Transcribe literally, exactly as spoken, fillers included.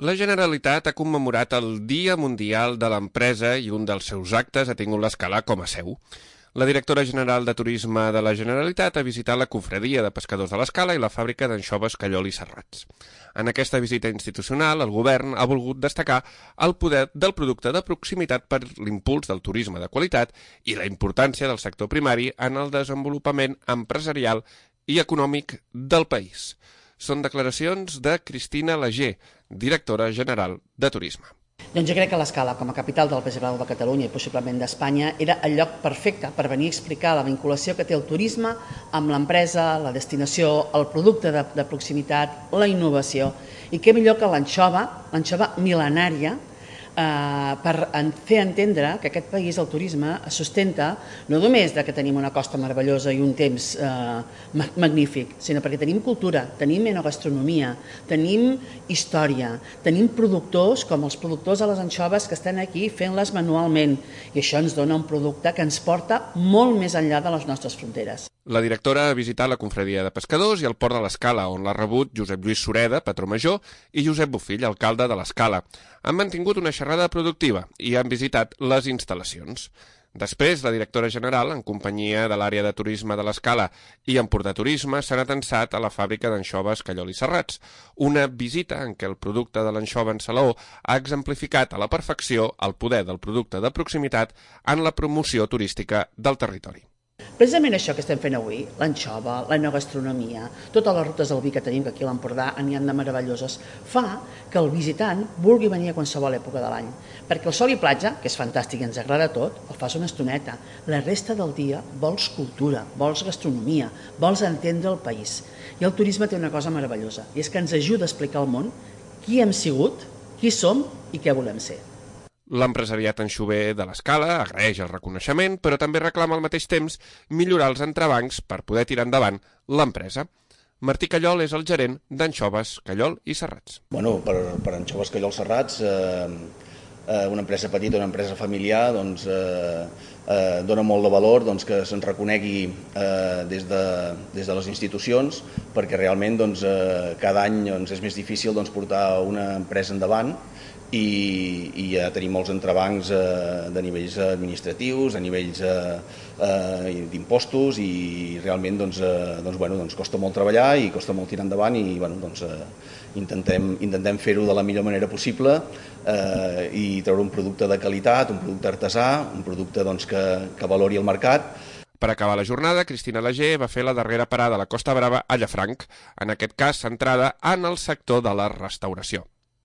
La Generalitat ha commemorat el Dia Mundial de l'Empresa i un dels seus actes ha tingut l'Escala com a seu. La directora general de Turisme de la Generalitat ha visitat la confraria de pescadors de l'Escala i la fàbrica d'anxoves Callol i Serrats. En aquesta visita institucional, el govern ha volgut destacar el poder del producte de proximitat per l'impuls del turisme de qualitat i la importància del sector primari en el desenvolupament empresarial i econòmic del país. Són declaracions de Cristina Lager, directora general de Turisme. Doncs jo crec que l'Escala, com a capital del Peix Blau de Catalunya i possiblement d'Espanya, era el lloc perfecte per venir a explicar la vinculació que té el turisme amb l'empresa, la destinació, el producte de, de proximitat, la innovació. I què millor que l'anxova, l'anxova mil·lenària, eh, per fer entendre que aquest país, el turisme, es sustenta no només de que tenim una costa meravellosa i un temps eh, magnífic, sinó perquè tenim cultura, tenim enogastronomia, tenim història, tenim productors com els productors de les anxoves que estan aquí fent-les manualment i això ens dona un producte que ens porta molt més enllà de les nostres fronteres. La directora ha visitat la confraria de pescadors i el port de l'Escala, on l'ha rebut Josep Lluís Sureda, patró major, i Josep Bofill, alcalde de l'Escala. Han mantingut una xerrada productiva i han visitat les instal·lacions. Després, la directora general, en companyia de l'àrea de turisme de l'Escala i Empordà Turisme, s'han atensat a la fàbrica d'anxoves Callol i Serrats, una visita en què el producte de l'anxova en salaó ha exemplificat a la perfecció el poder del producte de proximitat en la promoció turística del territori. Precisament això que estem fent avui, l'anxova, la enogastronomia, totes les rutes del vi que tenim, que aquí a l'Empordà n'hi ha de meravelloses, fa que el visitant vulgui venir a qualsevol època de l'any. Perquè el sol i platja, que és fantàstic i ens agrada tot, el fas una estoneta. La resta del dia vols cultura, vols gastronomia, vols entendre el país. I el turisme té una cosa meravellosa, i és que ens ajuda a explicar al món qui hem sigut, qui som i què volem ser. L'empresariat anxover de l'Escala agraeix el reconeixement, però també reclama al mateix temps millorar els entrebancs per poder tirar endavant l'empresa. Martí Callol és el gerent d'Anxoves Callol i Serrats. Bueno, per, per Anxoves Callol Serrats, eh, eh, una empresa petita, una empresa familiar, doncs, eh, eh, dona molt de valor doncs, que se'n reconegui eh, des, de, des de les institucions, perquè realment doncs, eh, cada any doncs, és més difícil doncs, portar una empresa endavant, i, i ja tenim molts entrebancs eh, de nivells administratius, a nivells eh, eh, d'impostos i realment doncs, eh, doncs, bueno, doncs costa molt treballar i costa molt tirar endavant i bueno, doncs, eh, intentem, intentem fer-ho de la millor manera possible eh, i treure un producte de qualitat, un producte artesà, un producte doncs, que, que valori el mercat. Per acabar la jornada, Cristina Lager va fer la darrera parada a la Costa Brava a Llafranc, en aquest cas centrada en el sector de la restauració.